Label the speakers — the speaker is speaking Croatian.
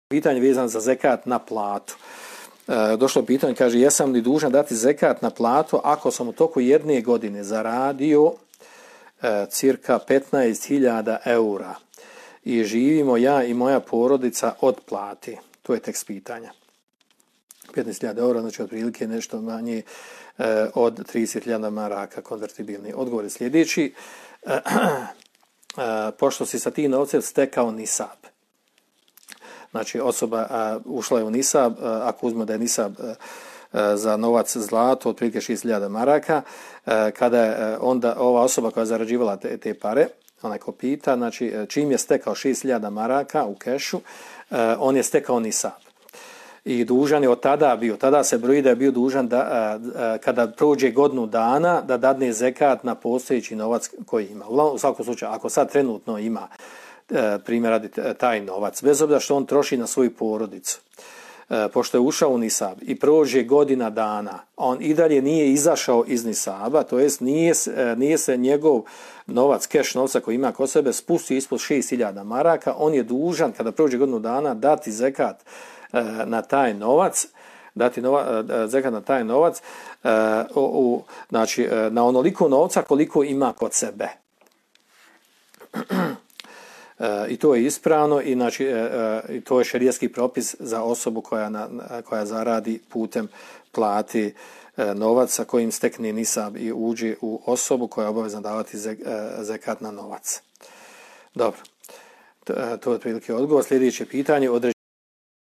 Speaker 1: Pitanje vezano za zekat na platu. Došlo pitanje, kaže, jesam li dužan dati zekat na platu ako sam u toku jedne godine zaradio cirka 15.000 eura i živimo ja i moja porodica od plati? To je tekst pitanja. 15.000 eura, znači otprilike nešto manje od 30.000 maraka konvertibilni. Odgovor je sljedeći. Pošto si sa tim novcem stekao nisab. Znači osoba ušla je u nisab, ako uzme da je nisab za novac zlato otprilike 6.000 maraka, kada je onda ova osoba koja je zarađivala te pare, onaj ko pita, znači čim je stekao 6.000 maraka u kešu, on je stekao nisab. I dužan je od tada se broji da je bio dužan da kada prođe godinu dana da dadne zekat na postojeći novac koji ima. U svakom slučaju, ako sad trenutno ima primjer radi taj novac, bez obzira što on troši na svoju porodicu, pošto je ušao u nisab i prođe godina dana, on i dalje nije izašao iz nisaba, to jest nije se njegov novac, keš novca koji ima kod sebe spustio ispod 6.000 maraka, on je dužan kada prođe godinu dana dati zekat na taj novac, zekat na taj novac, znači na onoliko novca koliko ima kod sebe. I to je ispravno i znači i to je šerijatski propis za osobu koja zaradi putem plati novac sa kojim stekne nisab i uđe u osobu koja je obavezna davati zekat na novac. Dobro. To je otprilike odgovor. Sljedeće pitanje.